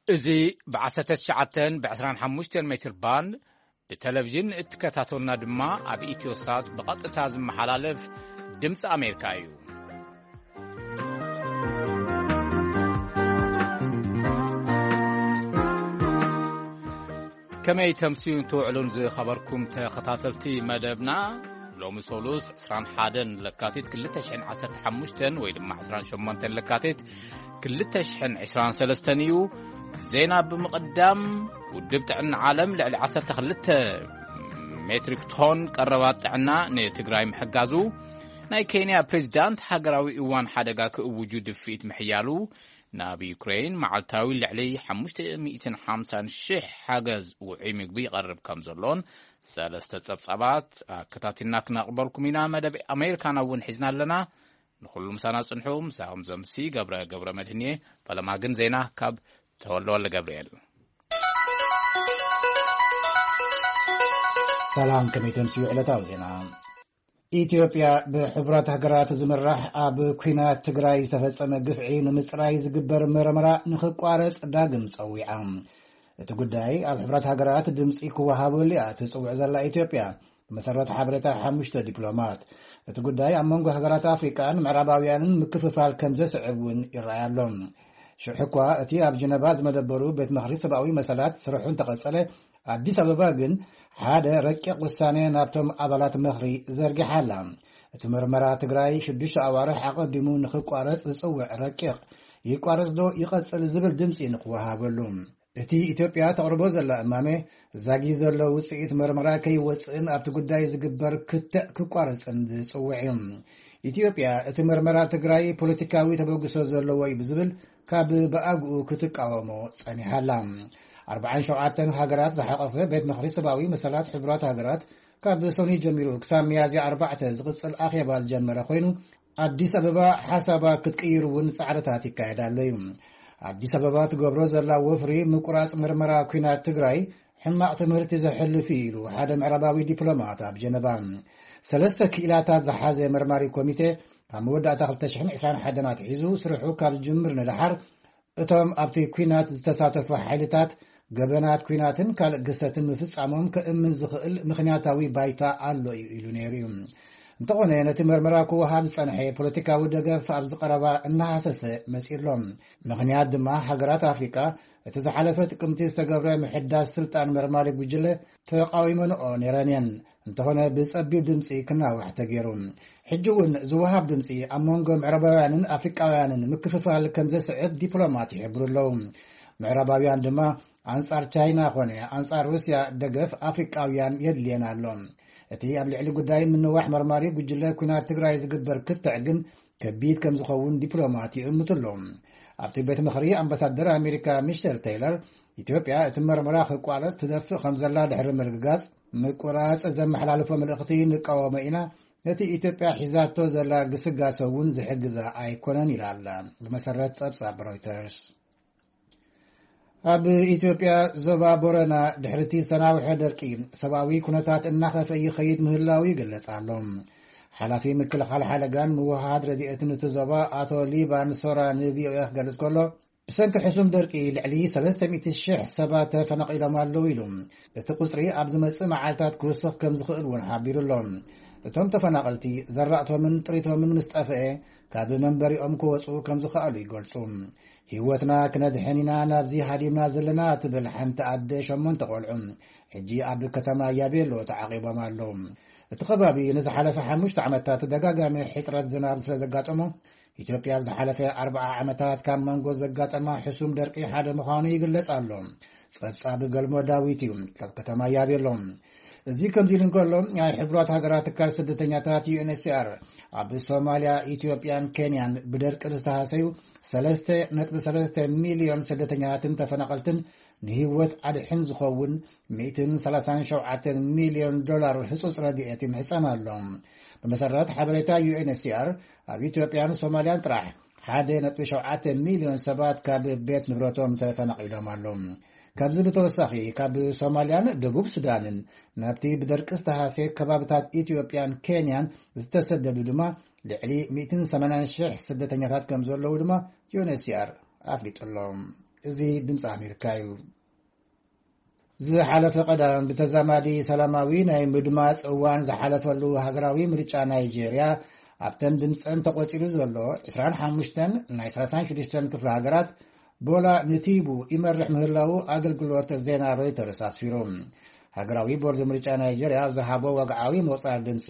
እዚ ብ19 ብ25 ሜትር ባንድ ብቴሌቪዥን እትከታተሉና ድማ ኣብ ኢትዮሳት ብቐጥታ ዝመሓላለፍ ድምፂ ኣሜሪካ እዩ። ከመይ ተምስዩን ትውዕሉን ዝኸበርኩም ተኸታተልቲ መደብና፣ ሎሚ ሰሉስ 21 ለካቲት 2015 ወይ ድማ 28 ለካቲት 2023 እዩ። ዜና ብምቕዳም፣ ውድብ ጥዕና ዓለም ልዕሊ 12 ሜትሪክ ቶን ቀረባት ጥዕና ንትግራይ ምሕጋዙ፣ ናይ ኬንያ ፕሬዚዳንት ሃገራዊ እዋን ሓደጋ ክእውጁ ድፍኢት ምሕያሉ፣ ናብ ዩክሬን መዓልታዊ ልዕሊ 550,000 ሓገዝ ውዑይ ምግቢ ይቐርብ ከም ዘሎን ሰለስተ ጸብጻባት ኣከታቲልና ክነቕርበልኩም ኢና። መደብ ኣሜሪካና እውን ሒዝና ኣለና። ንኹሉ ምሳና ጽንሑ። ምሳኹም ዘምሲ ገብረ ገብረ መድህን እየ። ፈለማ ግን ዜና ካብ ተወልደ ወልደ ገብርኤል። ሰላም፣ ከመይ ተምስዩ ዕለታዊ ዜና። ኢትዮጵያ ብሕቡራት ሃገራት ዝምራሕ ኣብ ኲናት ትግራይ ዝተፈጸመ ግፍዒ ንምጽራይ ዝግበር መርመራ ንኽቋረጽ ዳግም ጸዊዓ። እቲ ጉዳይ ኣብ ሕቡራት ሃገራት ድምጺ ክወሃበሉ እያ ትጽውዕ ዘላ ኢትዮጵያ፣ ብመሰረት ሓበሬታ ሓሙሽተ ዲፕሎማት። እቲ ጉዳይ ኣብ መንጎ ሃገራት ኣፍሪቃን ምዕራባውያንን ምክፍፋል ከም ዘስዕብ እውን ይረኣይ ኣሎ። ሽሕ እኳ እቲ ኣብ ጀነቫ ዝመደበሩ ቤት ምኽሪ ሰብኣዊ መሰላት ስርሑ እንተቐጸለ፣ ኣዲስ ኣበባ ግን ሓደ ረቂቕ ውሳነ ናብቶም ኣባላት ምኽሪ ዘርጊሓ ኣላ። እቲ መርመራ ትግራይ ሽዱሽተ ኣዋርሕ ኣቐዲሙ ንኽቋረጽ ዝጽውዕ ረቂቕ፣ ይቋረጽ ዶ ይቐጽል ዝብል ድምጺ ንኽወሃበሉ። እቲ ኢትዮጵያ ተቕርቦ ዘላ እማመ፣ ዛጊ ዘሎ ውጽኢት መርመራ ከይወጽእን ኣብቲ ጉዳይ ዝግበር ክትዕ ክቋረጽን ዝጽውዕ እዩ። ኢትዮጵያ እቲ መርመራ ትግራይ ፖለቲካዊ ተበግሶ ዘለዎ እዩ ብዝብል ካብ ብኣግኡ ክትቃወሞ ጸኒሓ ኣላ። ኣርባዓን ሸውዓተን ሃገራት ዝሓቐፈ ቤት ምኽሪ ሰብኣዊ መሰላት ሕቡራት ሃገራት ካብ ሰኑይ ጀሚሩ ክሳብ ሚያዝያ ኣርባዕተ ዝቕጽል ኣኼባ ዝጀመረ ኮይኑ፣ ኣዲስ ኣበባ ሓሳባ ክትቅይር እውን ጻዕርታት ይካየድ ኣሎ እዩ። ኣዲስ ኣበባ ትገብሮ ዘላ ወፍሪ ምቁራጽ መርመራ ኲናት ትግራይ ሕማቕ ትምህርቲ ዘሕልፍ እዩ ኢሉ ሓደ ምዕራባዊ ዲፕሎማት ኣብ ጀነቫ። ሰለስተ ክኢላታት ዝሓዘ መርማሪ ኮሚቴ ካብ መወዳእታ 2021 ኣትሒዙ ስርሑ ካብ ዝጅምር ንደሓር፣ እቶም ኣብቲ ኲናት ዝተሳተፉ ሓይልታት ገበናት ኲናትን ካልእ ግሰትን ምፍጻሞም ከእምን ዝኽእል ምኽንያታዊ ባይታ ኣሎ እዩ ኢሉ ነይሩ እዩ። እንተኾነ፣ ነቲ መርመራ ክወሃብ ዝጸንሐ ፖለቲካዊ ደገፍ ኣብዚ ቀረባ እናሃሰሰ መጺኡ ኣሎ። ምኽንያት ድማ፣ ሃገራት ኣፍሪቃ እቲ ዝሓለፈ ጥቅምቲ ዝተገብረ ምሕዳስ ስልጣን መርማሪ ጉጅለ ተቃዊመንኦ ነይረን እየን። እንተኾነ፣ ብጸቢብ ድምጺ ክናዋሕ ተገይሩ። ሕጂ እውን ዝወሃብ ድምጺ ኣብ መንጎ ምዕራባውያንን ኣፍሪቃውያንን ምክፍፋል ከም ዘስዕብ ዲፕሎማት ይሕብሩ ኣለዉ። ምዕራባውያን ድማ ኣንጻር ቻይና ኾነ ኣንጻር ሩስያ ደገፍ ኣፍሪቃውያን የድልየን ኣሎ። እቲ ኣብ ልዕሊ ጉዳይ ምንዋሕ መርማሪ ጉጅለ ኲናት ትግራይ ዝግበር ክትዕ ግን ከቢድ ከም ዝኸውን ዲፕሎማት ይእምቱ ኣለዉ። ኣብቲ ቤት ምኽሪ ኣምባሳደር ኣሜሪካ ሚሸል ቴይለር፣ ኢትዮጵያ እቲ መርመራ ክቋረጽ ትደፍእ ከም ዘላ ድሕሪ ምርግጋጽ፣ ምቁራጽ ዘመሓላልፎ መልእኽቲ ንቃወሞ ኢና፣ ነቲ ኢትዮጵያ ሒዛቶ ዘላ ግስጋሰ እውን ዝሕግዛ ኣይኮነን ኢላ ኣላ። ብመሰረት ጸብጻብ ሮይተርስ፣ ኣብ ኢትዮጵያ ዞባ ቦረና ድሕሪ እቲ ዝተናውሐ ደርቂ፣ ሰብኣዊ ኩነታት እናኸፍአ ይኸይድ ምህላው ይግለጽ ኣሎ። ሓላፊ ምክልኻል ሓደጋን ምውሃሃድ ረድኤትን እቲ ዞባ ኣቶ ሊባን ሶራ ን ቪ ኦ ኤ ክገልጽ ከሎ፣ ብሰንኪ ሕሱም ደርቂ ልዕሊ 300,000 ሰባት ተፈናቒሎም ኣለዉ ኢሉ። እቲ ቁጽሪ ኣብ ዝመጽእ መዓልታት ክውስኽ ከም ዝኽእል እውን ሓቢሩ ኣሎ። እቶም ተፈናቐልቲ ዘራእቶምን ጥሪቶምን ምስ ጠፍአ፣ ካብ መንበሪኦም ክወጹ ከም ዝኸኣሉ ይገልጹ። ህይወትና ክነድሕን ኢና ናብዚ ሃዲምና ዘለና፣ ትብል ሓንቲ ኣደ ሸሞንተ ቆልዑ፣ ሕጂ ኣብ ከተማ ያቤሎ ተዓቒቦም ኣለዉ። እቲ ከባቢ ንዝሓለፈ ሓሙሽተ ዓመታት ተደጋጋሚ ሕጽረት ዝናብ ስለ ዘጋጠሞ፣ ኢትዮጵያ ኣብ ዝሓለፈ ኣርብዓ ዓመታት ካብ መንጎ ዘጋጠማ ሕሱም ደርቂ ሓደ ምዃኑ ይግለጽ ኣሎ። ጸብጻብ ገልሞ ዳዊት እዩ ካብ ከተማ ያቤሎ። እዚ ከምዚ ኢሉ እንከሎ፣ ናይ ሕቡራት ሃገራት ትካል ስደተኛታት ዩ ኤን ኤች ሲ ኣር ኣብ ሶማልያ፣ ኢትዮጵያን ኬንያን ብደርቂ ዝተሃሰዩ 3.3 ሚልዮን ስደተኛታትን ተፈናቐልትን ንህይወት ኣድሕን ዝኸውን 137 ሚልዮን ዶላር ህጹጽ ረድኤት ይምሕጸን ኣሎ። ብመሰረት ሓበሬታ ዩ ኤን ኤች ሲ ኣር፣ ኣብ ኢትዮጵያን ሶማልያን ጥራሕ 1.7 ሚልዮን ሰባት ካብ ቤት ንብረቶም ተፈናቒሎም ኣለዉ። ካብዚ ብተወሳኺ፣ ካብ ሶማልያን ደቡብ ሱዳንን ናብቲ ብደርቂ ዝተሃስየ ከባብታት ኢትዮጵያን ኬንያን ዝተሰደዱ ድማ ልዕሊ 180,000 ስደተኛታት ከም ዘለዉ ድማ ዩ ኤን ኤች ሲ ኣር ኣፍሊጡ ኣሎ። እዚ ድምፂ ኣሜሪካ እዩ። ዝሓለፈ ቀዳም ብተዛማዲ ሰላማዊ ናይ ምድማፅ እዋን ዝሓለፈሉ ሃገራዊ ምርጫ ናይጄርያ፣ ኣብተን ድምፀን ተቆፂሩ ዘሎ ዕስራን ሓሙሽተን ናይ ሰላሳን ሽዱሽተን ክፍለ ሃገራት፣ ቦላ ንቲቡ ይመርሕ ምህላው ኣገልግሎት ዜና ሮይተርስ ኣስፊሩ። ሃገራዊ ቦርድ ምርጫ ናይጄርያ ኣብ ዝሃቦ ወግዓዊ ምቑፃር ድምፂ፣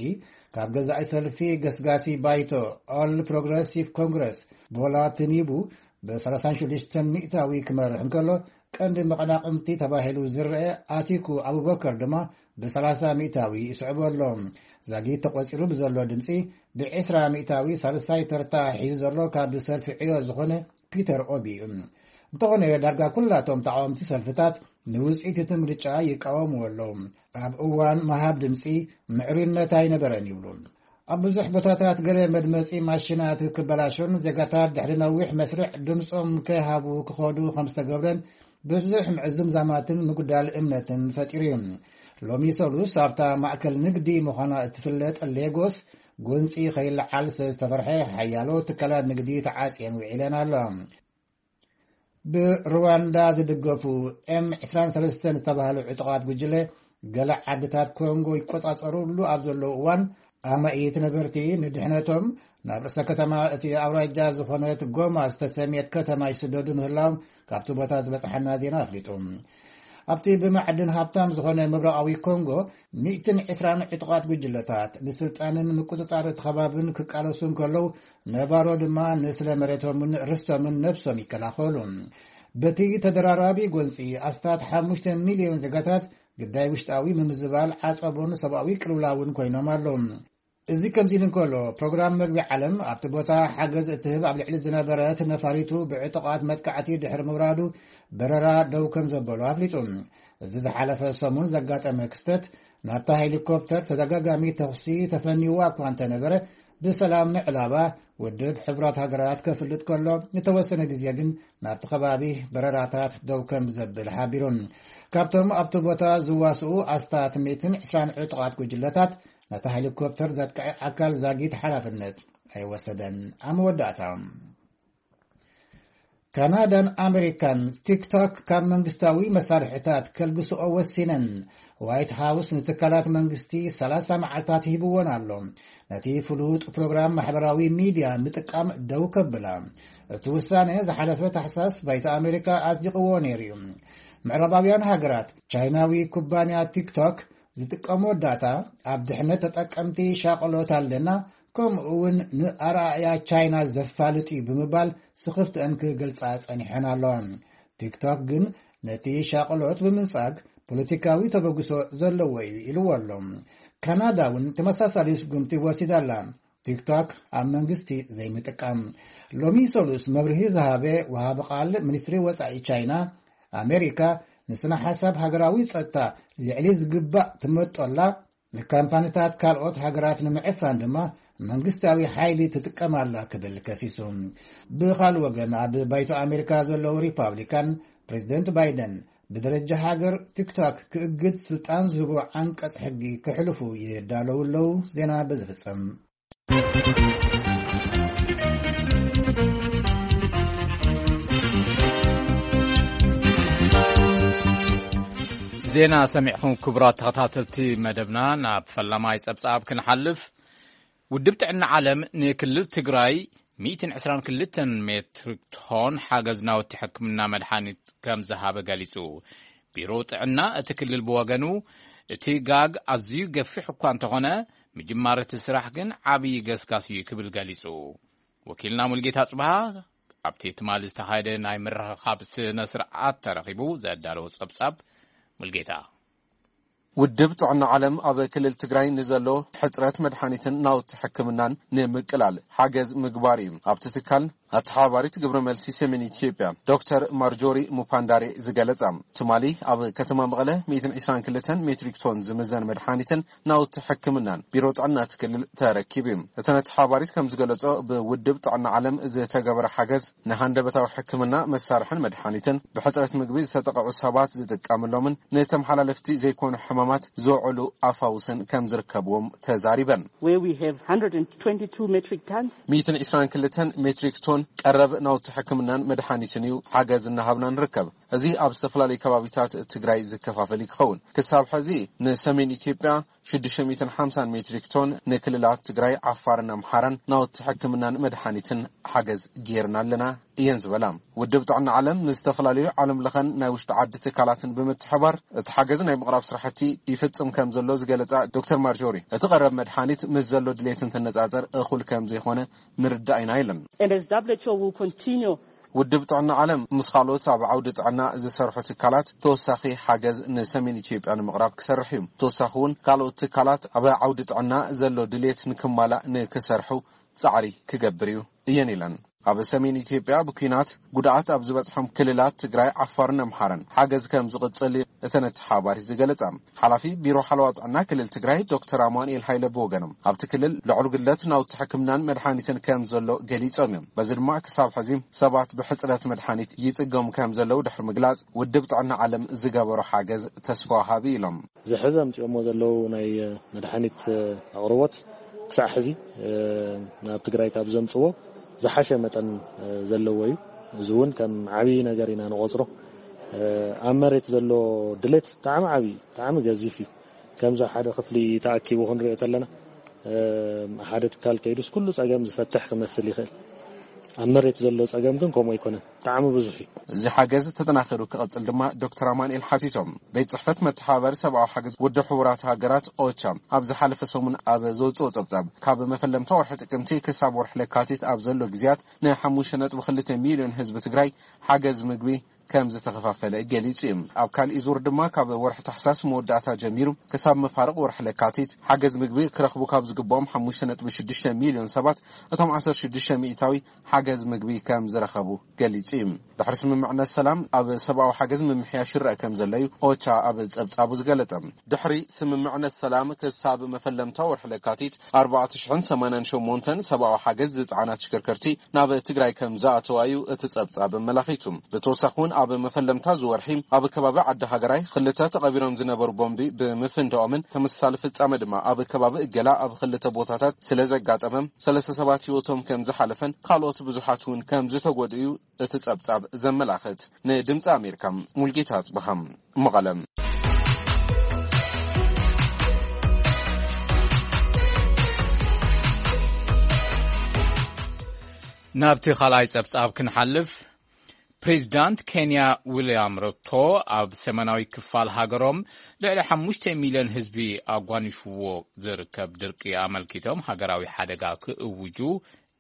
ካብ ገዛኢ ሰልፊ ገስጋሲ ባይቶ ኦል ፕሮግረሲቭ ኮንግረስ፣ ቦላ ቲኒቡ ብ ሰላሳን ሽዱሽተን ሚእታዊ ክመርሕ እንከሎ፣ ቀንዲ መቐናቕንቲ ተባሂሉ ዝረአ ኣቲኩ ኣቡበከር ድማ ብ ሰላሳ ሚእታዊ ይስዕቦ ኣሎ። ዛጊት ተቖጺሩ ብዘሎ ድምጺ፣ ብ ዕስራ ሚእታዊ ሳልሳይ ተርታ ሒዙ ዘሎ ካብ ሰልፊ ዕዮ ዝኾነ ፒተር ኦቢ እዩ። እንተኾነ፣ ዳርጋ ኩላቶም ተቓወምቲ ሰልፍታት ንውጽኢት እቲ ምርጫ ይቃወምዎ ኣለዉ። ኣብ እዋን ምሃብ ድምጺ ምዕሩይነት ኣይነበረን ይብሉ። ኣብ ብዙሕ ቦታታት ገለ መድመጺ ማሽናት ክበላሾን ዜጋታት ድሕሪ ነዊሕ መስርዕ ድምጾም ከይሃቡ ክኸዱ ከም ዝተገብረን ብዙሕ ምዕዝምዛማትን ምጉዳል እምነትን ፈጢሩ እዩ። ሎሚ ሰሉስ ኣብታ ማእከል ንግዲ ምዃና እትፍለጥ ሌጎስ፣ ጎንጺ ከይለዓል ስለ ዝተፈርሐ፣ ሓያሎ ትካላት ንግዲ ተዓጽየን ውዒለን ኣለዋ። ብሩዋንዳ ዝድገፉ ኤም ዕስራን ሰለስተን ዝተባህሉ ዕጡቓት ጉጅለ፣ ገለ ዓድታት ኮንጎ ይቆጻጸሩሉ ኣብ ዘለዉ እዋን፣ ኣማኢት ነበርቲ ንድሕነቶም ናብ ርእሰ ከተማ እቲ ኣውራጃ ዝኾነት ጎማ ዝተሰምየት ከተማ ይስደዱ ምህላዎም ካብቲ ቦታ ዝበጽሓና ዜና ኣፍሊጡ። ኣብቲ ብማዕድን ሃብታም ዝኾነ ምብራቓዊ ኮንጎ፣ ሚእትን ዕስራን ዕጡቓት ጉጅለታት ንስልጣንን ምቁጽጻር እቲ ከባብን ክቃለሱ እንከለዉ፣ ነባሮ ድማ ንስለ መሬቶምን ርስቶምን ነብሶም ይከላኸሉ። በቲ ተደራራቢ ጎንጺ፣ ኣስታት ሓሙሽተ ሚልዮን ዜጋታት ግዳይ ውሽጣዊ ምምዝባል፣ ዓጸቦን ሰብኣዊ ቅልውላውን ኮይኖም ኣለዉ። እዚ ከምዚ ኢሉ እንከሎ፣ ፕሮግራም መግቢ ዓለም ኣብቲ ቦታ ሓገዝ እትህብ ኣብ ልዕሊ ዝነበረት ነፋሪቱ ብዕጡቓት መጥቃዕቲ ድሕሪ ምውራዱ፣ በረራ ደው ከም ዘበሉ ኣፍሊጡ። እዚ ዝሓለፈ ሰሙን ዘጋጠመ ክስተት፣ ናብታ ሄሊኮፕተር ተደጋጋሚ ተኹሲ ተፈንይዋ እኳ እንተነበረ፣ ብሰላም ምዕላባ ውድብ ሕቡራት ሃገራት ከፍልጥ ከሎ፣ ንተወሰነ ግዜ ግን ናብቲ ከባቢ በረራታት ደው ከም ዘብል ሓቢሩ። ካብቶም ኣብቲ ቦታ ዝዋስኡ ኣስታት ሚእትን ዕስራን ዕጡቓት ጉጅለታት፣ ነታ ሄሊኮፕተር ዘጥቅዐ ኣካል ዛጊት ሓላፍነት ኣይወሰደን። ኣብ መወዳእታ፣ ካናዳን ኣመሪካን ቲክቶክ ካብ መንግስታዊ መሳርሒታት ከልግስኦ ወሲነን። ዋይት ሃውስ ንትካላት መንግስቲ ሰላሳ መዓልታት ሂብዎን ኣሎ፣ ነቲ ፍሉጥ ፕሮግራም ማሕበራዊ ሚድያ ምጥቃም ደው ከብላ። እቲ ውሳነ ዝሓለፈ ታሕሳስ ባይቶ ኣመሪካ ኣጽዲቕዎ ነይሩ እዩ። ምዕራባውያን ሃገራት፣ ቻይናዊ ኩባንያ ቲክቶክ ዝጥቀሞ ዳታ ኣብ ድሕነት ተጠቀምቲ ሻቕሎት ኣለና፣ ከምኡ እውን ንኣረኣእያ ቻይና ዘፋልጥ እዩ ብምባል ስኽፍትአን ክገልጻ ጸኒሐን ኣለዋ። ቲክቶክ ግን ነቲ ሻቕሎት ብምንጻግ ፖለቲካዊ ተበግሶ ዘለዎ እዩ ኢልዎ ኣሎ። ካናዳ እውን ተመሳሳሊ ስጉምቲ ወሲዳ ኣላ። ቲክቶክ ኣብ መንግስቲ ዘይምጥቃም። ሎሚ ሰሉስ መብርሂ ዝሃበ ወሃቢ ቃል ሚኒስትሪ ወጻኢ ቻይና፣ ኣሜሪካ ንስነ ሓሳብ ሃገራዊ ጸጥታ ልዕሊ ዝግባእ ትመጦላ፣ ንካምፓኒታት ካልኦት ሃገራት ንምዕፋን ድማ መንግስታዊ ሓይሊ ትጥቀም ኣላ ክብል ከሲሱ። ብኻልእ ወገን፣ ኣብ ባይቶ ኣሜሪካ ዘለዉ ሪፓብሊካን፣ ፕሬዚደንት ባይደን ብደረጃ ሃገር ቲክቶክ ክእግድ ስልጣን ዝህቦ ዓንቀጽ ሕጊ ክሕልፉ ይዳለዉ ኣለዉ። ዜና በዚ ፍጸም። ዜና ሰሚዕኹም ክቡራት ተኸታተልቲ መደብና፣ ናብ ፈላማይ ጸብጻብ ክንሓልፍ። ውድብ ጥዕና ዓለም ንክልል ትግራይ ሚእትን ዕስራን ክልተን ሜትሪክ ቶን ሓገዝ ናውቲ ሕክምና መድሓኒት ከም ዝሃበ ገሊጹ። ቢሮ ጥዕና እቲ ክልል ብወገኑ፣ እቲ ጋግ ኣዝዩ ገፊሕ እኳ እንተኾነ፣ ምጅማር እቲ ስራሕ ግን ዓብዪ ገስጋስ እዩ ክብል ገሊጹ። ወኪልና ሙልጌታ ጽብሃ ኣብቲ ትማሊ ዝተኻየደ ናይ ምርኽኻብ ስነ ስርዓት ተረኺቡ ዘዳለዎ ጸብጻብ። ሙልጌታ። ውድብ ጥዕና ዓለም ኣብ ክልል ትግራይ ንዘሎ ሕጽረት መድሓኒትን ናውቲ ሕክምናን ንምቅላል ሓገዝ ምግባር እዩ ኣብቲ ትካል ኣተሓባባሪት ግብረ መልሲ ሰሜን ኢትዮጵያ ዶክተር ማርጆሪ ሙፓንዳሬ ዝገለጻ። ትማሊ ኣብ ከተማ መቐለ ሚእትን ዕስራን ክልተን ሜትሪክ ቶን ዝምዘን መድሓኒትን ናውቲ ሕክምናን ቢሮ ጥዕና እቲ ክልል ተረኪቡ እዩ። እተን ኣተሓባባሪት ከም ዝገለጾ፣ ብውድብ ጥዕና ዓለም ዝተገበረ ሓገዝ ንሃንደበታዊ ሕክምና መሳርሕን መድሓኒትን፣ ብሕጽረት ምግቢ ዝተጠቕዑ ሰባት ዝጥቀምሎምን ንተመሓላለፍቲ ዘይኮኑ ሕማም ማት ዝውዕሉ ኣፋውስን ከም ዝርከብዎም ተዛሪበን። Where we have one hundred twenty-two metric tons. ሚእትን ዕስራን ክልተን ሜትሪክ ቶን ቀረብ ናውቲ ሕክምናን መድሓኒትን እዩ ሓገዝ እናሃብና ንርከብ። እዚ ኣብ ዝተፈላለዩ ከባቢታት ትግራይ ዝከፋፈል እዩ ክኸውን። ክሳብ ሕዚ ንሰሜን ኢትዮጵያ ሽዱሽተ ሚእትን ሓምሳን ሜትሪክ ቶን፣ ንክልላት ትግራይ፣ ዓፋርን ኣምሓራን ናውቲ ሕክምናን መድሓኒትን ሓገዝ ጌርና ኣለና እየን ዝበላ። ውድብ ጥዕና ዓለም ምስ ዝተፈላለዩ ዓለም ለኸን ናይ ውሽጢ ዓዲ ትካላትን ብምትሕባር እቲ ሓገዝ ናይ ምቕራብ ስራሕቲ ይፍጽም ከም ዘሎ ዝገለጻ ዶክተር ማርጆሪ፣ እቲ ቀረብ መድሓኒት ምስ ዘሎ ድሌት እንትነጻጸር እኹል ከም ዘይኾነ ንርዳእ ኢና ኢለን። And as W H O will continue ውድብ ጥዕና ዓለም ምስ ካልኦት ኣብ ዓውዲ ጥዕና ዝሰርሑ ትካላት ተወሳኺ ሓገዝ ንሰሜን ኢትዮጵያ ንምቕራብ ክሰርሕ እዩ። ተወሳኺ እውን ካልኦት ትካላት ኣብ ዓውዲ ጥዕና ዘሎ ድሌት ንክማላእ ንክሰርሑ ጻዕሪ ክገብር እዩ እየን ኢለን። ኣብ ሰሜን ኢትዮጵያ ብኲናት ጉድኣት ኣብ ዝበጽሖም ክልላት ትግራይ፣ ዓፋርን ኣምሓራን ሓገዝ ከም ዝቕጽል እተን ኣተሓባሪት ዝገለጻ። ሓላፊ ቢሮ ሓለዋ ጥዕና ክልል ትግራይ ዶክተር ኣማኑኤል ሃይለ ብወገኖም፣ ኣብቲ ክልል ልዑል ጉድለት ናውቲ ሕክምናን መድሓኒትን ከም ዘሎ ገሊጾም እዮም። በዚ ድማ ክሳብ ሕዚ ሰባት ብሕጽረት መድሓኒት ይጽገሙ ከም ዘለዉ ድሕሪ ምግላጽ፣ ውድብ ጥዕና ዓለም ዝገበሮ ሓገዝ ተስፋ ወሃቢ ኢሎም። እዚ ሕዚ ኣምጺኦሞ ዘለዉ ናይ መድሓኒት ኣቕርቦት ክሳዕ ሕዚ ናብ ትግራይ ካብ ዘምጽዎ ዝሓሸ መጠን ዘለዎ እዩ። እዚ እውን ከም ዓብዪ ነገር ኢና ንቆጽሮ። ኣብ መሬት ዘሎ ድሌት ብጣዕሚ ዓብዪ፣ ብጣዕሚ ገዚፍ እዩ። ከምዚ ሓደ ክፍሊ ተኣኪቡ ክንሪኦ ተለና ሓደ ትካል ከይዱስ ኩሉ ጸገም ዝፈትሕ ክመስል ይኽእል። ኣብ መሬት ዘሎ ጸገም ግን ከምኡ ኣይኮነን። ብጣዕሚ ብዙሕ እዩ። እዚ ሓገዝ ተጠናኺሩ ክቐጽል ድማ ዶክተር ኣማኑኤል ሓቲቶም። ቤት ጽሕፈት መተሓባበሪ ሰብኣዊ ሓገዝ ውድብ ሕቡራት ሃገራት ኦቻ ኣብ ዝሓለፈ ሰሙን ኣብ ዘውጽኦ ጸብጻብ፣ ካብ መፈለምታ ወርሒ ጥቅምቲ ክሳብ ወርሒ ለካቲት ኣብ ዘሎ ግዜያት ንሓሙሽተ ነጥቢ ክልተ ሚልዮን ህዝቢ ትግራይ ሓገዝ ምግቢ ከም ዝተኸፋፈለ ገሊጹ እዩ። ኣብ ካሊእ ዙር ድማ ካብ ወርሒ ታሕሳስ መወዳእታ ጀሚሩ ክሳብ መፋርቕ ወርሒ ለካቲት ሓገዝ ምግቢ ክረኽቡ ካብ ዝግብኦም ሓሙሽተ ነጥቢ ሽዱሽተ ሚልዮን ሰባት እቶም ዓሰርተ ሽዱሽተ ሚእታዊ ሓገዝ ምግቢ ከም ዝረኸቡ ገሊጹ እዩ። ድሕሪ ስምምዕነት ሰላም ኣብ ሰብኣዊ ሓገዝ ምምሕያሽ ይረአ ከም ዘሎ እዩ ኦቻ ኣብ ጸብጻቡ ዝገለጸ። ድሕሪ ስምምዕነት ሰላም ክሳብ መፈለምታ ወርሒ ለካቲት ኣርባዕተ ሽሕን ሰማንያን ሸሞንተን ሰብኣዊ ሓገዝ ዝጸዓና ተሽከርከርቲ ናብ ትግራይ ከም ዝኣተዋ እዩ እቲ ጸብጻብ ኣመላኺቱ። ብተወሳኺ እውን ኣብ መፈለምታ ዝወርሒ ኣብ ከባቢ ዓዲ ሃገራይ ክልተ ተቐቢሮም ዝነበሩ ቦምቢ ብምፍንዳኦምን ተመሳሳሊ ፍጻመ ድማ ኣብ ከባቢ እገላ ኣብ ክልተ ቦታታት ስለ ዘጋጠመ ሰለስተ ሰባት ህይወቶም ከም ዝሓለፈን ካልኦት ብዙሓት እውን ከም ዝተጎድኡ እዩ እቲ ጸብጻብ ዘመላኽት። ንድምጺ ኣሜሪካ ሙልጌታ ኣጽብሃ፣ መቐለ። ናብቲ ካልኣይ ጸብጻብ ክንሓልፍ፣ ፕሬዚዳንት ኬንያ ዊልያም ሩቶ ኣብ ሰሜናዊ ክፋል ሃገሮም ልዕሊ ሓሙሽተ ሚልዮን ህዝቢ ኣጓኒፍዎ ዝርከብ ድርቂ ኣመልኪቶም ሃገራዊ ሓደጋ ክእውጁ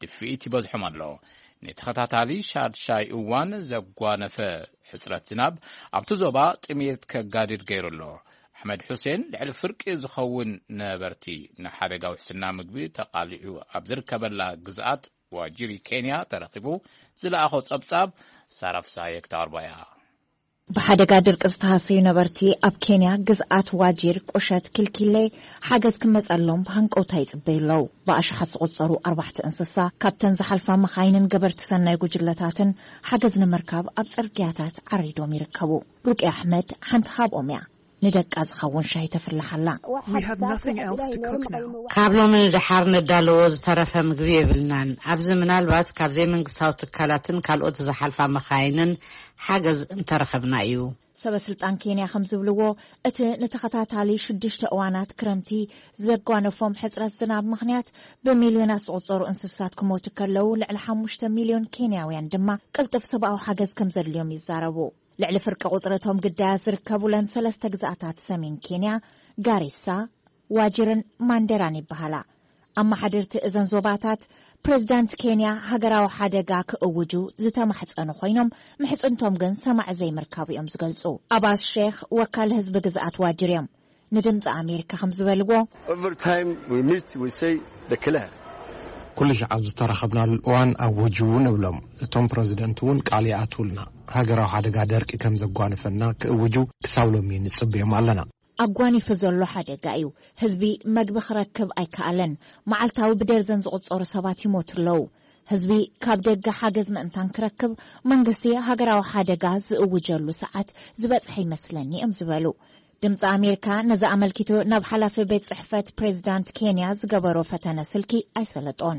ድፍኢት ይበዝሖም ኣሎ። ንተኸታታሊ ሻድሻይ እዋን ዘጓነፈ ሕጽረት ዝናብ ኣብቲ ዞባ ጥሜት ከጋድድ ገይሩ ኣሎ። ኣሕመድ ሑሴን ልዕሊ ፍርቂ ዝኸውን ነበርቲ ንሓደጋ ውሕስና ምግቢ ተቓሊዑ ኣብ ዝርከበላ ግዝኣት ዋጂሪ ኬንያ ተረኺቡ ዝለኣኾ ጸብጻብ ሳራ ፍስሃየ ክተቕርቦ እያ። ብሓደጋ ድርቂ ዝተሃሰዩ ነበርቲ ኣብ ኬንያ ግዝኣት ዋጂር፣ ቁሸት፣ ኪልኪሌ ሓገዝ ክመጸሎም ብሃንቀውታ ይጽበዩ ኣለዉ። ብኣሽሓት ዝቑጸሩ ኣርባሕቲ እንስሳ፣ ካብተን ዝሓልፋ መኻይንን ገበርቲ ሰናይ ጉጅለታትን ሓገዝ ንምርካብ ኣብ ጽርግያታት ዓሪዶም ይርከቡ። ሩቅያ ኣሕመድ ሓንቲ ካብኦም እያ። ንደቃ ዝኸውን ሻሂ ተፍልሕ ኣላ። ካብ ሎሚ ንደሓር ነዳለዎ ዝተረፈ ምግቢ የብልናን። ኣብዚ ምናልባት ካብ ዘይመንግስታዊ ትካላትን ካልኦት ዝሓልፋ መኻይንን ሓገዝ እንተረኸብና እዩ። ሰበ ስልጣን ኬንያ ከም ዝብልዎ፣ እቲ ንተኸታታሊ ሽዱሽተ እዋናት ክረምቲ ዘጓነፎም ሕጽረት ዝናብ ምኽንያት ብሚልዮናት ዝቑጸሩ እንስሳት ክሞቱ ከለዉ፣ ልዕሊ ሓሙሽተ ሚልዮን ኬንያውያን ድማ ቅልጡፍ ሰብኣዊ ሓገዝ ከም ዘድልዮም ይዛረቡ። ልዕሊ ፍርቂ ቁጽሪ እቶም ግዳያት ዝርከቡለን ሰለስተ ግዝኣታት ሰሜን ኬንያ፣ ጋሪሳ፣ ዋጅርን ማንደራን ይበሃላ። ኣመሓደርቲ እዘን ዞባታት፣ ፕሬዚዳንት ኬንያ ሃገራዊ ሓደጋ ክእውጁ ዝተማሕጸኑ ኮይኖም፣ ምሕጽንቶም ግን ሰማዒ ዘይምርካቡ እዮም ዝገልጹ። ኣባስ ሼክ ወካል ህዝቢ ግዝኣት ዋጅር እዮም። ንድምጺ ኣሜሪካ ከም ዝበልዎ፣ Every time we meet, we say the clear. ኩሉ ሻዕ ኣብ ዝተራኸብናሉ እዋን ኣውጁ ንብሎም። እቶም ፕረዚደንት እውን ቃል ይኣትውልና። ሃገራዊ ሓደጋ ደርቂ ከም ዘጓንፈና ክእውጁ ክሳብ ሎሚ ንጽበዮም ኣለና። ኣጓኒፉ ዘሎ ሓደጋ እዩ። ህዝቢ መግቢ ክረክብ ኣይከኣለን። መዓልታዊ ብደርዘን ዝቑጸሩ ሰባት ይሞቱ ኣለዉ። ህዝቢ ካብ ደገ ሓገዝ ምእንታን ክረክብ መንግስቲ ሃገራዊ ሓደጋ ዝእውጀሉ ሰዓት ዝበጽሐ ይመስለኒ እዮም ዝበሉ። ድምፂ ኣሜሪካ ነዚ ኣመልኪቱ ናብ ሓላፊ ቤት ፅሕፈት ፕሬዚዳንት ኬንያ ዝገበሮ ፈተነ ስልኪ ኣይሰለጦን።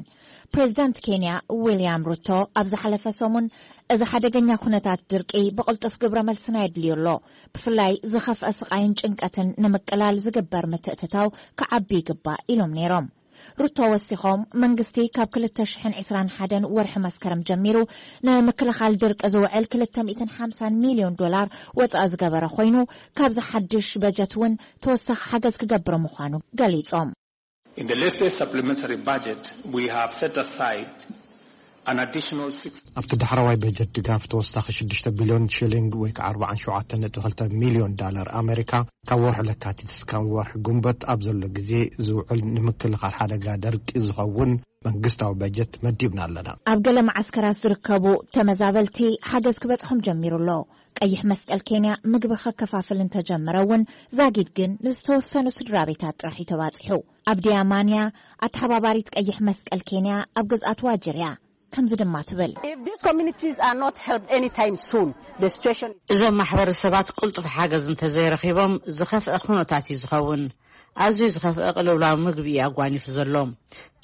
ፕሬዚዳንት ኬንያ ዊልያም ሩቶ ኣብ ዝሓለፈ ሰሙን እዚ ሓደገኛ ኩነታት ድርቂ ብቕልጡፍ ግብረ መልስና የድልዮ ኣሎ፣ ብፍላይ ዝኸፍአ ስቓይን ጭንቀትን ንምቅላል ዝግበር ምትእትታው ክዓቢ ይግባእ ኢሎም ነይሮም። ሩቶ ወሲኾም፣ መንግስቲ ካብ ክልተ ሽሕን ዕስራን ሓደን ወርሒ መስከረም ጀሚሩ ንምክልኻል ድርቂ ዝውዕል ክልተ ሚእትን ሓምሳን ሚልዮን ዶላር ወፃኢ ዝገበረ ኮይኑ፣ ካብዚ ሓድሽ በጀት እውን ተወሳኺ ሓገዝ ክገብር ምዃኑ ገሊፆም። In the latest supplementary budget, we have set aside an additional six ኣብቲ ዳሕረዋይ በጀት ድጋፍ ተወሳኺ ሽዱሽተ ቢልዮን ሽሊንግ ወይ ከዓ ኣርባዓን ሸውዓተን ነጥቢ ክልተ ሚልዮን ዳላር ኣሜሪካ ካብ ወርሒ ለካቲት እስካብ ወርሒ ጉንበት ኣብ ዘሎ ግዜ ዝውዕል ንምክልኻል ሓደጋ ደርቂ ዝኸውን መንግስታዊ በጀት መዲብና ኣለና። ኣብ ገለ መዓስከራት ዝርከቡ ተመዛበልቲ ሓገዝ ክበጽሖም ጀሚሩ ኣሎ። ቀይሕ መስቀል ኬንያ ምግቢ ከከፋፍል እንተጀመረ እውን ዛጊድ ግን ንዝተወሰኑ ስድራ ቤታት ጥራሕ እዩ ተባጺሑ። ኣብዲያ ማንያ ኣተሓባባሪት ቀይሕ መስቀል ኬንያ ኣብ ግዝኣት ዋጅር እያ። ከምዚ ድማ ትብል። If these communities are not helped anytime soon, the situation is እዞም ማሕበረሰባት ቅልጡፍ ሓገዝ እንተዘይረኺቦም ዝኸፍአ ኩነታት እዩ ዝኸውን። ኣዝዩ ዝኸፍአ ቅልውላው ምግቢ እዩ ኣጓኒፉ ዘሎ።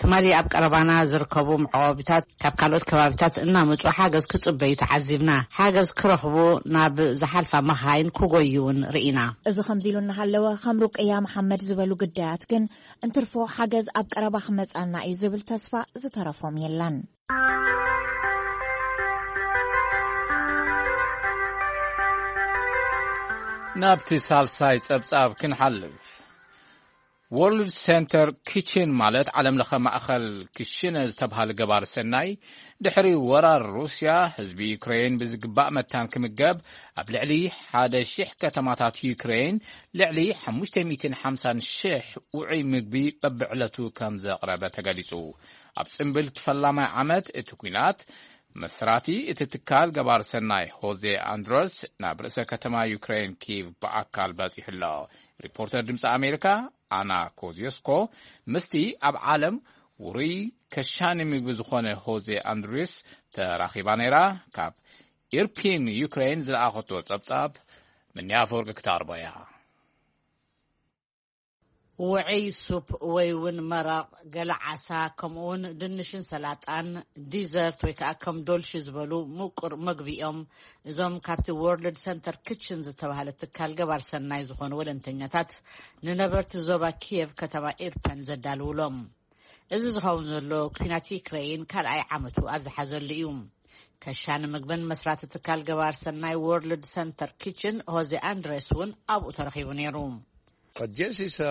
ትማሊ ኣብ ቀረባና ዝርከቡ መዕቆቢታት ካብ ካልኦት ከባቢታት እናመጹ ሓገዝ ክጽበዩ ተዓዚብና። ሓገዝ ክረኽቡ ናብ ዝሓልፋ መኻይን ክጎዩ እውን ርኢና። እዚ ከምዚ ኢሉ እናሃለወ ከም ሩቅያ መሓመድ ዝበሉ ግዳያት ግን እንትርፎ ሓገዝ ኣብ ቀረባ ክመጻና እዩ ዝብል ተስፋ ዝተረፎም የለን። ናብቲ ሳልሳይ ጸብጻብ ክንሓልፍ። ወርልድ ሴንተር ኪችን ማለት ዓለም ለኸ ማእኸል ክሽነ ዝተብሃለ ገባር ሰናይ ድሕሪ ወራር ሩስያ ህዝቢ ዩክሬን ብዝግባእ መታን ክምገብ ኣብ ልዕሊ ሓደ ሺሕ ከተማታት ዩክሬን ልዕሊ ሓሙሽተ ሚእትን ሓምሳን ሽሕ ውዑይ ምግቢ በብዕለቱ ከም ዘቕረበ ተገሊጹ። ኣብ ጽምብል ፈላማይ ዓመት እቲ ኲናት መስራቲ እቲ ትካል ገባር ሰናይ ሆዜ ኣንድረስ ናብ ርእሰ ከተማ ዩክሬን ኪቭ ብኣካል በጺሑ ኣሎ። ሪፖርተር ድምፂ ኣሜሪካ ኣና ኮዚዮስኮ ምስቲ ኣብ ዓለም ውሩይ ከሻኒ ምግቢ ዝኾነ ሆዜ ኣንድሪስ ተራኺባ ነይራ። ካብ ኢርፒን ዩክሬን ዝለኣኸቶ ጸብጻብ ምንያ ኣፈወርቂ ክታርቦ እያ። ውዕይ ሱፕ ወይ እውን መረቕ፣ ገለ ዓሳ፣ ከምኡ እውን ድንሽን ሰላጣን፣ ዲዘርት ወይ ከዓ ከም ዶልሺ ዝበሉ ምቁር መግቢ እዮም። እዞም ካብቲ ወርልድ ሰንተር ክችን ዝተባህለ ትካል ገባር ሰናይ ዝኾኑ ወለንተኛታት ንነበርቲ ዞባ ኪየቭ ከተማ ኢርፐን ዘዳልውሎም። እዚ ዝኸውን ዘሎ ኲናት ዩክሬይን ካልኣይ ዓመቱ ኣብ ዝሓዘሉ እዩ። ከሻኒ ምግብን መስራቲ ትካል ገባር ሰናይ ወርልድ ሰንተር ኪችን ሆዜ ኣንድሬስ እውን ኣብኡ ተረኺቡ ነይሩ። But yes, it's a,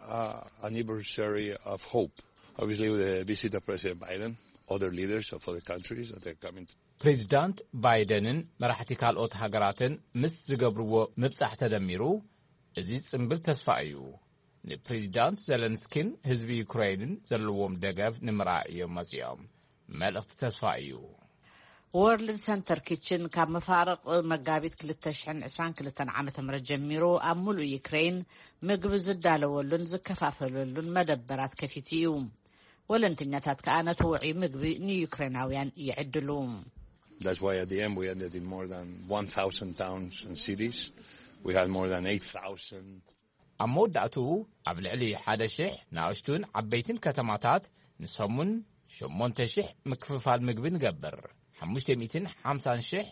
a anniversary of hope. Obviously, with the visit of President Biden, other leaders of other countries that are coming to ፕሬዚዳንት ባይደንን መራሕቲ ካልኦት ሃገራትን ምስ ዝገብርዎ ምብጻሕ ተደሚሩ፣ እዚ ጽምብል ተስፋ እዩ። ንፕሬዚዳንት ዘለንስኪን ህዝቢ ዩክሬይንን ዘለዎም ደገፍ ንምርኣይ እዮም መጺኦም። መልእኽቲ ተስፋ እዩ። ወርልድ ሰንተር ኪችን ካብ መፋርቕ መጋቢት ክልተ ሽሕን ዕስራን ክልተን ዓመተ ምህረት ጀሚሩ ኣብ ሙሉእ ዩክሬን ምግቢ ዝዳለወሉን ዝከፋፈለሉን መደበራት ከፊቱ እዩ። ወለንተኛታት ከኣ ነቲ ውዑይ ምግቢ ንዩክሬናውያን ይዕድሉ። That's why at the end we ended in more than one thousand towns and cities. We had more than eight thousand. ኣብ መወዳእትኡ ኣብ ልዕሊ ሓደ ሺሕ ንኣሽቱን ዓበይትን ከተማታት ንሰሙን ሸሞንተ ሺሕ ምክፍፋል ምግቢ ንገብር። ሓሙሽተ ሚእትን ሓምሳን ሺሕ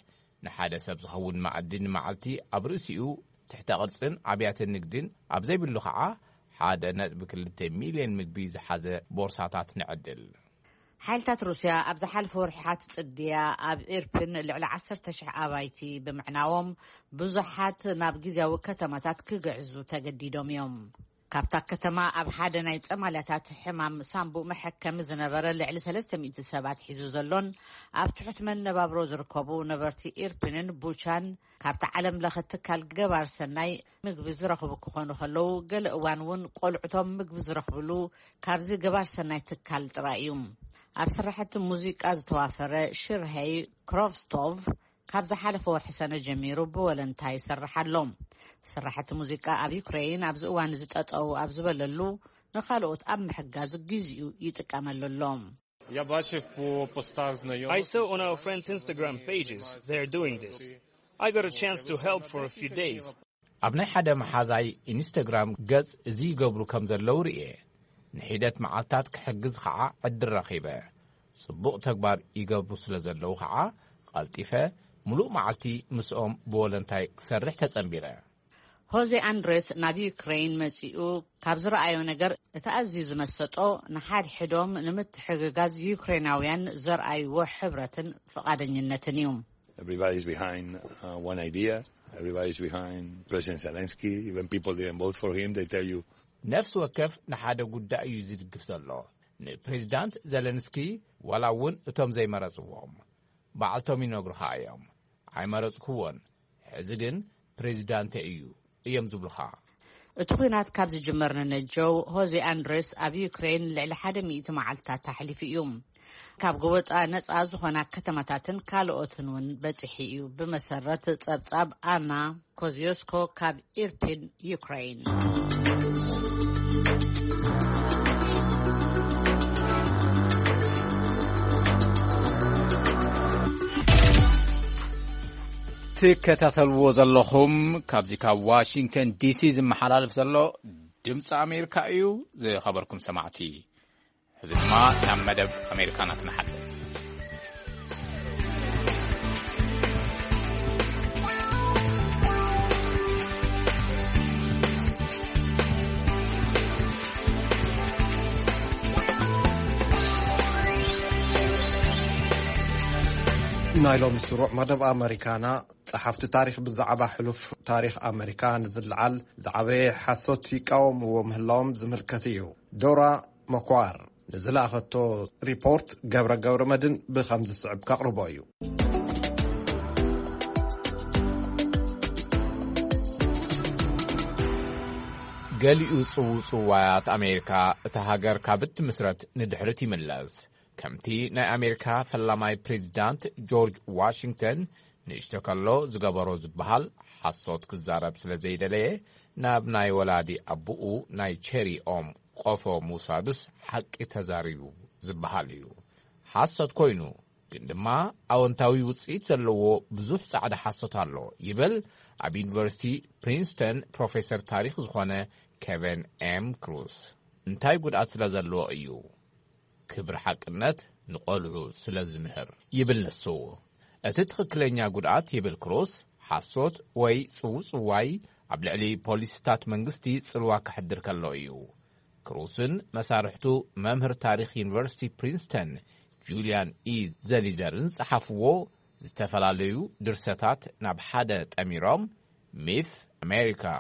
ንሓደ ሰብ ዝኸውን መኣዲ ንመዓልቲ ኣብ ርእሲኡ ትሕተ ቅርጽን ኣብያተ ንግድን ኣብ ዘይብሉ ኸዓ ሓደ ነጥቢ ክልተ ሚልዮን ምግቢ ዝሓዘ ቦርሳታት ንዕድል። ሓይልታት ሩስያ ኣብ ዝሓለፈ ወርሕታት ጽድያ ኣብ ኢርፒን ልዕሊ ዓሰርተ ሽሕ ኣባይቲ ብምዕናዎም ብዙሓት ናብ ግዝያዊ ከተማታት ክግዕዙ ተገዲዶም እዮም። ካብታ ከተማ ኣብ ሓደ ናይ ጸማልያታት ሕማም ሳምቡእ መሐከሚ ዝነበረ ልዕሊ ሰለስተ ሚእቲ ሰባት ሒዙ ዘሎን ኣብ ትሑት መነባብሮ ዝርከቡ ነበርቲ ኢርፒንን ቡቻን ካብቲ ዓለም ለኸ ትካል ገባር ሰናይ ምግቢ ዝረኽቡ ክኾኑ ከለዉ፣ ገለ እዋን እውን ቆልዑቶም ምግቢ ዝረኽብሉ ካብዚ ገባር ሰናይ ትካል ጥራይ እዩ። ኣብ ስራሕቲ ሙዚቃ ዝተዋፈረ ሽርሄይ ክሮቭስቶቭ ካብ ዝሓለፈ ወርሒ ሰነ ጀሚሩ ብወለንታ ይሰርሕ ኣሎ። ስራሕቲ ሙዚቃ ኣብ ዩክሬይን ኣብዚ እዋን እዚ ጠጠው ኣብ ዝበለሉ፣ ንኻልኦት ኣብ ምሕጋዝ ግዜኡ ይጥቀመሉ ኣሎ። Я бачив по постах знайомих. I saw on our friends' Instagram pages they're doing this. I got a chance to help for a few days. ኣብ ናይ ሓደ መሓዛይ ኢንስታግራም ገጽ እዚ ይገብሩ ከም ዘለዉ ርእየ። ንሒደት መዓልታት ክሕግዝ ኸዓ ዕድል ረኺበ። ጽቡቕ ተግባር ይገብሩ ስለ ዘለዉ ኸዓ፣ ቀልጢፈ ምሉእ መዓልቲ ምስኦም ብወለንታይ ክሰርሕ ተጸንቢረ። ሆዜ ኣንድሬስ ናብ ዩክሬን መጺኡ ካብ ዝረኣዮ ነገር እቲ ኣዝዩ ዝመሰጦ፣ ንሓድሕዶም ንምትሕግጋዝ ዩክሬናውያን ዘርኣይዎ ሕብረትን ፍቓደኝነትን እዩ። Everybody is behind uh, one idea. Everybody is behind President Zelensky. Even people didn't vote for him, they tell you. ነፍሲ ወከፍ ንሓደ ጉዳይ እዩ ዝድግፍ ዘሎ። ንፕሬዚዳንት ዘለንስኪ ዋላ እውን እቶም ዘይመረጽዎም ባዕልቶም ይነግሩኻ እዮም። ኣይመረጽክዎን፣ ሕዚ ግን ፕሬዚዳንተ እዩ እዮም ዝብሉኻ። እቲ ኲናት ካብ ዝጅመር ንነጀው፣ ሆዜ ኣንድሬስ ኣብ ዩክሬን ልዕሊ ሓደ ሚእቲ መዓልታት ኣሕሊፉ እዩ። ካብ ጎበጣ ነጻ ዝኾና ከተማታትን ካልኦትን እውን በጺሑ እዩ። ብመሰረት ጸብጻብ ኣና ኮዝዮስኮ ካብ ኢርፒን፣ ዩክሬን። ትከታተልዎ ዘለኹም ካብዚ ካብ ዋሽንግተን ዲሲ ዝመሓላለፍ ዘሎ ድምፂ ኣሜሪካ እዩ። ዝኸበርኩም ሰማዕቲ፣ ሕዚ ድማ ናብ መደብ ኣሜሪካና ክንሓልፍ። ናይ ሎሚ ስሩዕ መደብ ኣመሪካና፣ ጸሓፍቲ ታሪኽ ብዛዕባ ሕሉፍ ታሪኽ ኣመሪካ ንዝለዓል ዝዓበየ ሓሶት ይቃወምዎ ምህላዎም ዝምልከት እዩ። ዶራ መኳር ንዝለኣኸቶ ሪፖርት፣ ገብረ ገብረ መድን ብኸም ዝስዕብ ከቕርቦ እዩ። ገሊኡ ጽውጽዋያት ኣሜሪካ፣ እታ ሃገር ካብ እትምስረት ንድሕሪት ይምለስ። ከምቲ ናይ ኣሜሪካ ፈላማይ ፕሬዚዳንት ጆርጅ ዋሽንግተን ንእሽቶ ከሎ ዝገበሮ ዝበሃል ሓሶት ክዛረብ ስለ ዘይደለየ፣ ናብ ናይ ወላዲ ኣቦኡ ናይ ቸሪ ኦም ቆፎ ምውሳዱስ ሓቂ ተዛሪቡ ዝበሃል እዩ። ሓሶት ኮይኑ ግን ድማ ኣወንታዊ ውጽኢት ዘለዎ ብዙሕ ጻዕዳ ሓሶት ኣሎ ይብል ኣብ ዩኒቨርሲቲ ፕሪንስተን ፕሮፌሰር ታሪኽ ዝኾነ ኬቨን ኤም ክሩስ። እንታይ ጉድኣት ስለ ዘለዎ እዩ? ክብሪ ሓቅነት ንቖልዑ ስለ ዝምህር ይብል ንሱ። እቲ ትኽክለኛ ጉድኣት ይብል ክሩስ፣ ሓሶት ወይ ጽውጽዋይ ኣብ ልዕሊ ፖሊሲታት መንግስቲ ጽልዋ ከሕድር ከሎ እዩ። ክሩስን መሳርሕቱ፣ መምህር ታሪኽ ዩኒቨርሲቲ ፕሪንስተን ጁልያን ኢ ዘሊዘርን ጸሓፍዎ ዝተፈላለዩ ድርሰታት ናብ ሓደ ጠሚሮም፣ Myth America: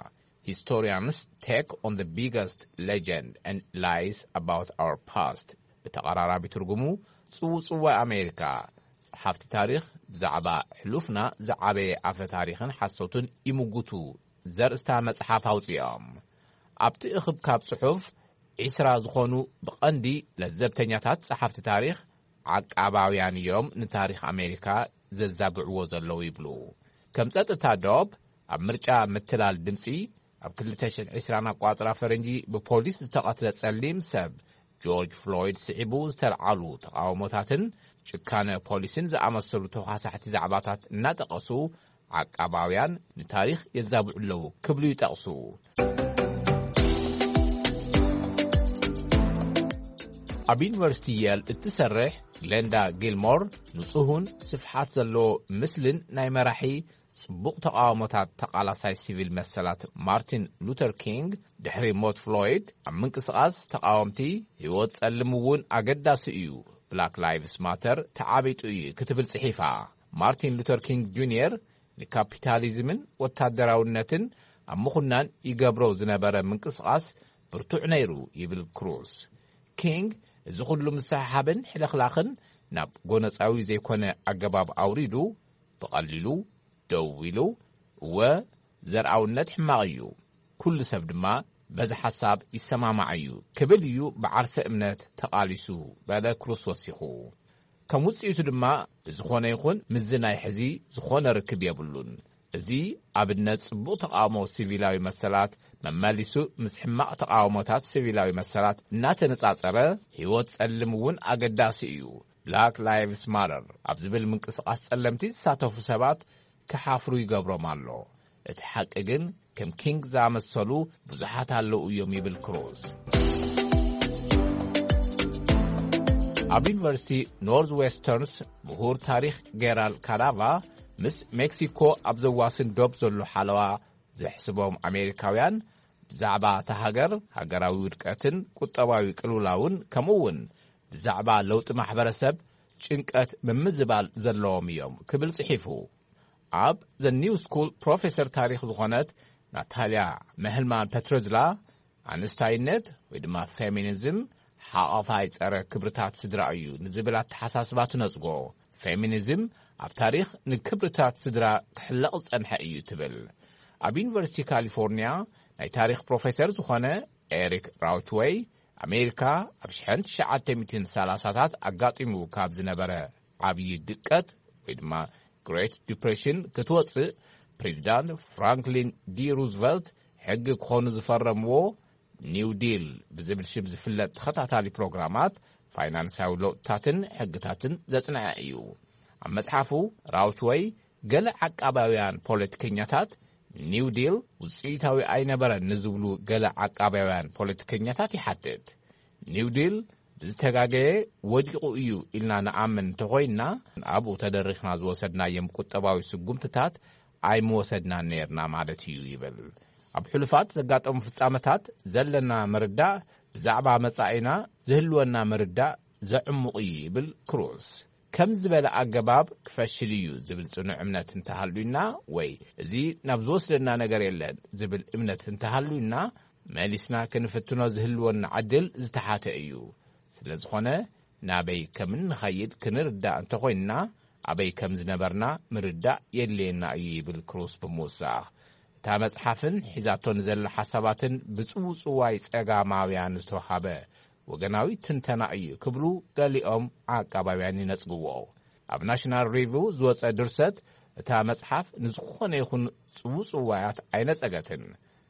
Historians Take on the Biggest Legend and Lies About Our Past፣ ብተቐራራቢ ትርጉሙ ጽውጽዋይ ኣሜሪካ፣ ጸሓፍቲ ታሪኽ ብዛዕባ ሕሉፍና ዝዓበየ ኣፈ ታሪኽን ሓሶትን ይምጉቱ ዘርእስታ መጽሓፍ ኣውጺኦም። ኣብቲ እኽብካብ ጽሑፍ፣ ዒስራ ዝኾኑ ብቐንዲ ለዘብተኛታት ጸሓፍቲ ታሪኽ ዓቃባውያን እዮም ንታሪኽ ኣሜሪካ ዘዛግዕዎ ዘለዉ ይብሉ። ከም ጸጥታ ዶብ፣ ኣብ ምርጫ ምትላል ድምጺ፣ ኣብ ክልተ ሽሕን ዕስራን ኣቋጽራ ፈረንጂ ብፖሊስ ዝተቐትለ ጸሊም ሰብ ጆርጅ ፍሎይድ ስዒቡ ዝተልዓሉ ተቓውሞታትን ጭካነ ፖሊስን ዝኣመሰሉ ተዃሳሕቲ ዛዕባታት እናጠቐሱ፣ ዓቃባውያን ንታሪኽ የዛብዑ ኣለዉ ክብሉ ይጠቕሱ። ኣብ ዩኒቨርሲቲ የል እትሰርሕ ግሌንዳ ጊልሞር፣ ንጹሁን ስፍሓት ዘለዎ ምስልን ናይ መራሒ ጽቡቕ ተቓውሞታት ተቓላሳይ ሲቪል መሰላት ማርቲን ሉተር ኪንግ፣ ድሕሪ ሞት ፍሎይድ ኣብ ምንቅስቓስ ተቓወምቲ፣ ህይወት ጸልም እውን ኣገዳሲ እዩ፣ ብላክ ላይቭስ ማተር ተዓቢጡ እዩ ክትብል ጽሒፋ። ማርቲን ሉተር ኪንግ ጁኒየር ንካፒታሊዝምን ወታደራውነትን ኣብ ምኹናን ይገብሮ ዝነበረ ምንቅስቓስ ብርቱዕ ነይሩ ይብል ክሩስ። ኪንግ፣ እዚ ኩሉ ምስሕሓብን ሕልኽላኽን ናብ ጎነጻዊ ዘይኮነ ኣገባብ ኣውሪዱ፣ ብቐሊሉ ደው ኢሉ፣ እወ፣ ዘርኣውነት ሕማቕ እዩ፣ ኩሉ ሰብ ድማ በዚ ሓሳብ ይሰማማዕ እዩ ክብል እዩ ብዓርሰ እምነት ተቓሊሱ፣ በለ ክሩስ ወሲኹ። ከም ውጽኢቱ ድማ፣ ብዝኾነ ይኹን ምስዚ ናይ ሕዚ ዝኾነ ርክብ የብሉን። እዚ ኣብነት ጽቡቕ ተቓውሞ ሲቪላዊ መሰላት መመሊሱ ምስ ሕማቕ ተቓውሞታት ሲቪላዊ መሰላት እናተነጻጸረ፣ ህይወት ጸልም እውን ኣገዳሲ እዩ፣ ብላክ ላይቭስ ማተር ኣብ ዝብል ምንቅስቓስ ጸለምቲ ዝሳተፉ ሰባት ክሓፍሩ ይገብሮም ኣሎ። እቲ ሓቂ ግን ከም ኪንግ ዝኣመሰሉ ብዙሓት ኣለዉ እዮም ይብል ክሩዝ። ኣብ ዩኒቨርሲቲ ኖርዝ ዌስተርንስ ምሁር ታሪኽ ጌራል ካዳቫ ምስ ሜክሲኮ ኣብ ዘዋስን ዶብ ዘሎ ሓለዋ ዘሕስቦም ኣሜሪካውያን ብዛዕባ እታ ሃገር ሃገራዊ ውድቀትን ቁጠባዊ ቅልውላውን ከምኡ እውን ብዛዕባ ለውጢ ማሕበረሰብ ጭንቀት ምምዝባል ዘለዎም እዮም ክብል ጽሒፉ። ኣብ ዘ ኒው ስኩል ፕሮፌሰር ታሪኽ ዝኾነት ናታልያ መህልማን ፐትረዝላ ኣንስታይነት ወይ ድማ ፌሚኒዝም ሓቐፋይ ጸረ ክብርታት ስድራ እዩ ንዝብል ኣተሓሳስባ ትነጽጎ። ፌሚኒዝም ኣብ ታሪኽ ንክብርታት ስድራ ክሕለቕ ዝጸንሐ እዩ ትብል። ኣብ ዩኒቨርሲቲ ካሊፎርኒያ ናይ ታሪኽ ፕሮፌሰር ዝኾነ ኤሪክ ራውችወይ ኣሜሪካ ኣብ ሽሕን ትሽዓተ ሚእትን ሰላሳታት ኣጋጢሙ ካብ ዝነበረ ዓብዪ ድቀት ወይ ድማ ግሬት ዲፕሬሽን ክትወፅእ ፕሬዚዳንት ፍራንክሊን ዲ ሩዝቨልት ሕጊ ክኾኑ ዝፈረምዎ ኒው ዲል ብዝብል ሽም ዝፍለጥ ተኸታታሊ ፕሮግራማት ፋይናንሳዊ ለውጥታትን ሕግታትን ዘጽንዐ እዩ። ኣብ መጽሓፉ ራውችወይ ገለ ዓቃባውያን ፖለቲከኛታት ኒው ዲል ውፅኢታዊ ኣይነበረን ንዝብሉ ገለ ዓቃባውያን ፖለቲከኛታት ይሓትት። ኒው ዲል ብዝተጋገየ ወዲቑ እዩ ኢልና ንኣምን እንተኾይንና ኣብኡ ተደሪኽና ዝወሰድናዮም ቁጠባዊ ስጉምትታት ኣይምወሰድናን ነይርና ማለት እዩ ይብል። ኣብ ሕሉፋት ዘጋጠሙ ፍጻመታት ዘለና ምርዳእ ብዛዕባ መጻኢና ዝህልወና ምርዳእ ዘዕሙቕ እዩ ይብል ክሩዝ። ከም ዝበለ ኣገባብ ክፈሽል እዩ ዝብል ጽኑዕ እምነት እንተሃልዩና ወይ እዚ ናብ ዝወስደና ነገር የለን ዝብል እምነት እንተሃልዩና መሊስና ክንፍትኖ ዝህልወና ዕድል ዝተሓተ እዩ። ስለ ዝኾነ ናበይ ከም እንኸይድ ክንርዳእ እንተኾይንና ኣበይ ከም ዝነበርና ምርዳእ የድልየና እዩ ይብል ክሩዝ ብምውሳኽ። እታ መጽሓፍን ሒዛቶ ንዘላ ሓሳባትን ብጽውጽዋይ ጸጋማውያን ዝተዋሃበ ወገናዊ ትንተና እዩ ክብሉ ገሊኦም ዓቃባውያን ይነጽግዎ። ኣብ ናሽናል ሪቪው ዝወጸ ድርሰት እታ መጽሓፍ ንዝኾነ ይኹን ጽውጽዋያት ኣይነጸገትን።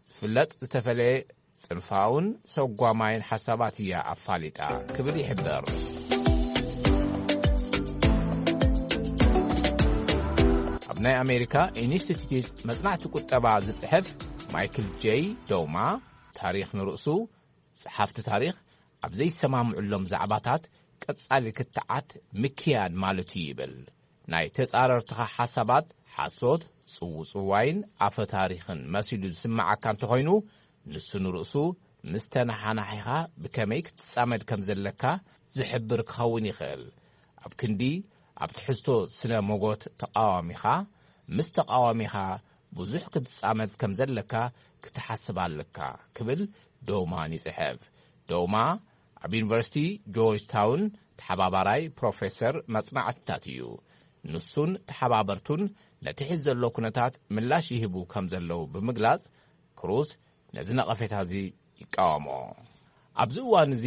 ዝፍለጥ ዝተፈለየ ጽንፋውን ሰጓማይን ሓሳባት እያ ኣፋሊጣ ክብል ይሕበር። ኣብ ናይ ኣሜሪካ ኢንስቲትዩት መጽናዕቲ ቁጠባ ዝጽሕፍ ማይክል ጄይ ዶማ ታሪኽ ንርእሱ ጸሓፍቲ ታሪኽ ኣብ ዘይሰማምዑሎም ዛዕባታት ቀጻሊ ክትዓት ምክያድ ማለት እዩ ይብል። ናይ ተጻረርትኻ ሓሳባት ሓሶት፣ ጽውጽዋይን ኣፈ ታሪኽን መሲሉ ዝስምዓካ እንተኾይኑ ንሱ ንርእሱ ምስ ተነሓናሒኻ ብከመይ ክትጻመድ ከም ዘለካ ዝሕብር ክኸውን ይኽእል። ኣብ ክንዲ ኣብ ትሕዝቶ ስነ ሞጎት ተቓዋሚኻ ምስ ተቓዋሚኻ ብዙሕ ክትጻመድ ከም ዘለካ ክትሓስብ ኣለካ ክብል ዶማን ይጽሕፍ። ዶማ ኣብ ዩኒቨርሲቲ ጆርጅ ታውን ተሓባባራይ ፕሮፌሰር መጽናዕትታት እዩ። ንሱን ተሓባበርቱን ነቲ ሕዚ ዘሎ ኩነታት ምላሽ ይህቡ ከም ዘለዉ ብምግላጽ ክሩዝ ነዚ ነቐፌታ እዚ ይቃወሞ። ኣብዚ እዋን እዚ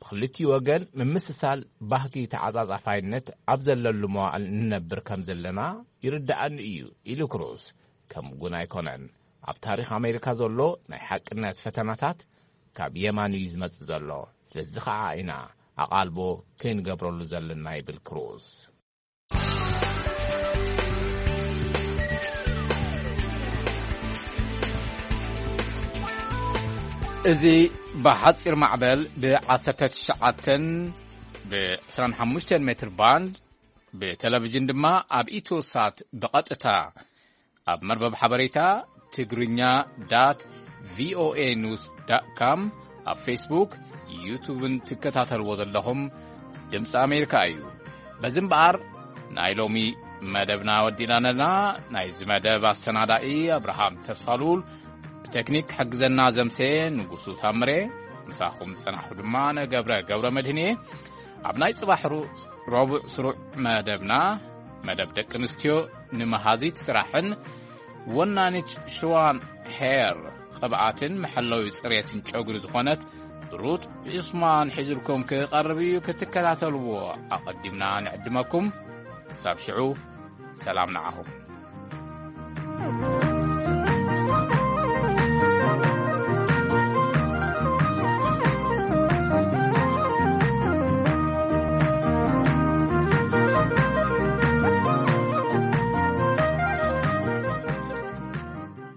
ብክልቲኡ ወገን ምምስሳል ባህጊ ተዓጻጻፋይነት ኣብ ዘለሉ መዋእል ንነብር ከም ዘለና ይርድኣኒ እዩ ኢሉ ክሩዝ። ከምኡ ግን ኣይኮነን። ኣብ ታሪኽ ኣሜሪካ ዘሎ ናይ ሓቅነት ፈተናታት ካብ የማን እዩ ዝመጽእ ዘሎ። ስለዚ ኸዓ ኢና ኣቓልቦ ክንገብረሉ ዘለና ይብል ክሩዝ። እዚ ብሓጺር ማዕበል ብ19 ብ25 ሜትር ባንድ ብቴሌቪዥን ድማ ኣብ ኢትዮ ሳት ብቐጥታ ኣብ መርበብ ሓበሬታ ትግርኛ ዳት ቪኦኤ ኒውስ ዳት ካም ኣብ ፌስቡክ ዩቱብን ትከታተልዎ ዘለኹም ድምፂ ኣሜሪካ እዩ። በዚ እምበኣር ናይ ሎሚ መደብና ወዲና ኣለና። ናይዚ መደብ ኣሰናዳኢ ኣብርሃም ተስፋሉል፣ ብቴክኒክ ክሕግዘና ዘምሰ ንጉሱ ታምሬ፣ ምሳኹም ዝጸናሕኩ ድማ ነገብረ ገብረ መድህን እየ። ኣብ ናይ ጽባሕ ሩ-፣ ረቡዕ ስሩዕ መደብና፣ መደብ ደቂ ኣንስትዮ ንመሃዚት ስራሕን ወናኒት ሽዋን ሄር ቅብኣትን መሐለዊ ጽሬትን ጨጉሪ ዝኾነት ሩት ዑስማን ሒዝልኩም ክቐርብ እዩ። ክትከታተልዎ ኣቐዲምና ንዕድመኩም። ክሳብ ሽዑ ሰላም ንዓኹም።